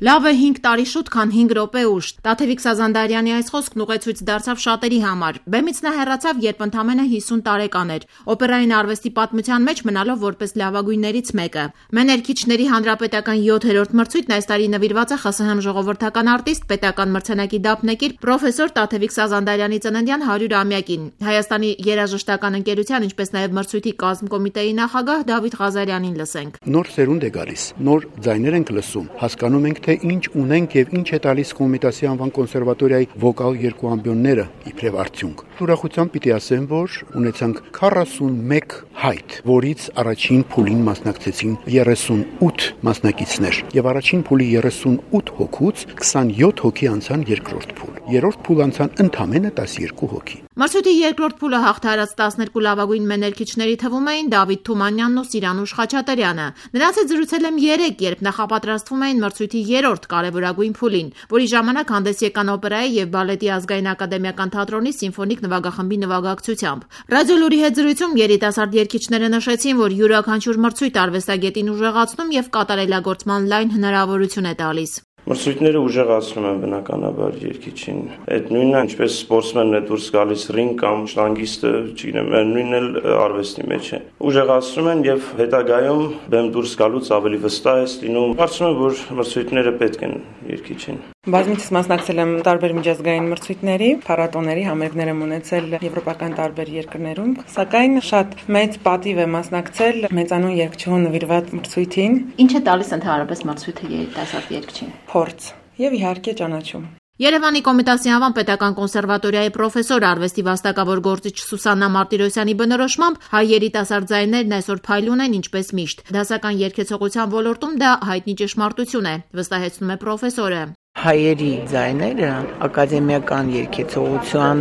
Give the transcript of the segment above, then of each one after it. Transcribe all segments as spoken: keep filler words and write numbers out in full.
Լավ է հինգ տարի շուտ, քան հինգ րոպե ուշ։ Տաթևիկ Սազանդարյանի այս խոսքն ուղեցույց դարձավ շատերի համար։ Բեմից նա հեռացավ, երբ ընդամենը հիսուն տարեկան էր, օպերային արվեստի պատմության մեջ մնալով որպես լավագույններից մեկը։ Մեներքիչների հանրապետական յոթերորդ մրցույթն այս տարի նվիրված է ԽՍՀՄ ժողովրդական արտիստ, պետական մրցանակի դափնեկիր պրոֆեսոր Տաթևիկ Սազանդարյանի ծննդյան հարյուրամյակին։ Հայաստանի երաժշտական ընկերության, ինչպես նաև մրցույթի կազմկոմիտեի նախագահ Դավիթ Ղազարյանին լսենք։ Նոր սերունդ է գալիս, նոր ձայներ ենք լսում, հասկանում ենք, թե ինչ ունենք եւ ինչ է տալիս Կոմիտասի անվան կոնսերվատորիայի վոկալ երկու ամբիոնները իբրև արդյունք։ Ուրախությամբ պիտի ասեմ, որ ունեցանք քառասունմեկ հայտ, որից առաջին փուլին մասնակցեցին երեսունութ մասնակիցներ եւ առաջին փուլի երեսունութ հոգուց քսանյոթ հոգի անցան երկրորդ փուլ։ Երրորդ փուլ անցան ընդամենը տասներկու հոգի։ Մրցույթի երկրորդ փուլը հաղթարած տասներկու լավագույն մեներքիչների թվում էին Դավիթ Թումանյանն ու Սիրանուշ Խաչատրյանը։ Նրանց հետ զրուցել եմ երեկ, երբ նախապատրաստվում էին մրցույթի երրորդ կարևորագույն փուլին, որի ժամանակ հանդես եկան օպերայի եւ բալետի ազգային ակադեմիական թատրոնի սիմֆոնիկ նվագախմբի նվագակցությամբ։ Ռադիոլուրի հետ զրույցում երիտասարդ երգիչները նշեցին, որ յուրաքանչյուր մրցույթ արվեստագետին ուժեղացնում եւ կատարելագործման լայն հնարավորություն է տալիս։ Մրցույթները ուժեղացնում են բնականաբար երգիչին։ Այդ նույնն է, ինչպես սպորտսմենն է դուրս գալիս ռինգ կամ շտանգիստը, չգիտեմ, նույնն էլ արվեստի մեջ է։ Ուժեղացնում են եւ հետագայում բեմ դուրս գալուց ավելի վստահ է լինում։ Կարծում եմ, որ մրցույթները պետք են երգիչին։ Բազմիցս մասնակցել եմ տարբեր միջազգային մրցույթների, փառատոների, համերգներ եմ ունեցել եվրոպական տարբեր երկրներում, սակայն շատ մեծ պատիվ է մասնակցել մեծանուն երգչուհու նվիրված մրցույթին։ Ինչ է տալիս ընդհանրապես մրցույթը երիտասարդ երգչին։ Փորձ եւ իհարկե ճանաչում։ Երևանի Կոմիտասի անվան պետական կոնսերվատորիայի պրոֆեսոր արվեստի վաստակավոր գործիչ Սուսաննա Մարտիրոսյանի բնորոշմամբ հայ երիտասարդ ձայներն այսօր փայլուն են ինչպես միշտ։ Դասական երգեցողության ոլորտում դա հայտնի ճշմարտություն է, վստահեցնում է պրոֆեսորը։ Հայերի ձայները ակադեմիական երգեցողության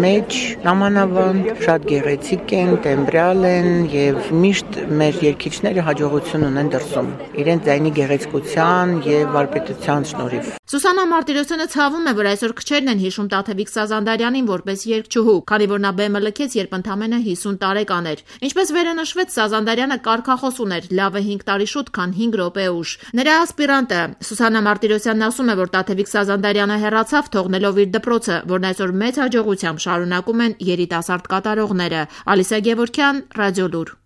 մեջ նամանավանդ շատ գեղեցիկ են, տեմբրալ են եւ միշտ մեր երգիչները հաջողություն ունեն դրսում իրենց ձայնի գեղեցկության եւ վարպետության շնորհիվ։ Սուսաննա Մարտիրոսյանը ցավում է, որ այսօր քչերն են հիշում Տաթևիկ Սազանդարյանին որպես երգչուհու, քանի որ նա բեմը լքեց, երբ ընդամենը հիսուն տարեկան էր։ Ինչպես վերը նշվեց, Սազանդարյանը կարգախոս ուներ՝ լավ է հինգ տարի շուտ, քան հինգ րոպե ուշ։ Նրա ասպիրանտը Սուսաննա Մարտիրոսյանն ասում է, որ Տաթևիկ Սազանդարյանը հեռացավ, թողնելով իր դպրոցը, որն այսօր մեծ հաջողությամբ շարունակում են երիտասարդ կատարողները։ Ալիսա Գևորգյան, Ռադիոլուր։